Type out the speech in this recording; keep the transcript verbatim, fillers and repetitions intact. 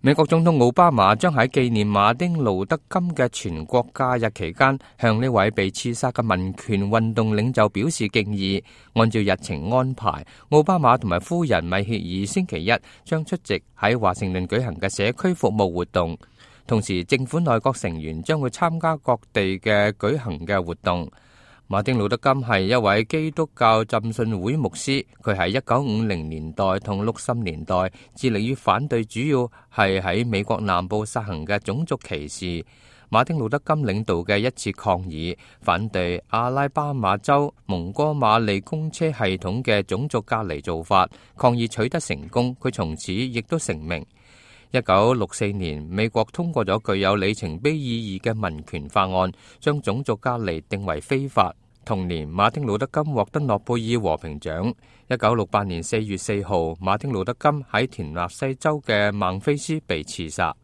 美國總統奧巴馬將喺紀念馬丁路德金嘅全國假日期間，向呢位被刺殺嘅民權運動領袖表示敬意。按照日程安排，奧巴馬同埋夫人米歇爾星期一將出席喺華盛頓舉行嘅社區服務活動，同時政府內閣成員將會參加各地嘅舉行嘅活動。馬丁路德金係一位基督教浸信會牧師，佢喺一九五零年代同六十年代致力於反對主要係喺美國南部實行嘅種族歧視。馬丁路德金領導嘅一次抗議，反對阿拉巴馬州蒙哥馬利公車系統嘅種族隔離做法，抗議取得成功，佢從此亦都成名。一九六四年，美國通過咗具有里程碑意義嘅民權法案，將種族隔離定為非法。同年，馬丁路德金獲得諾貝爾和平獎。一九六八年四月四號，馬丁路德金喺田納西州嘅孟菲斯被刺殺。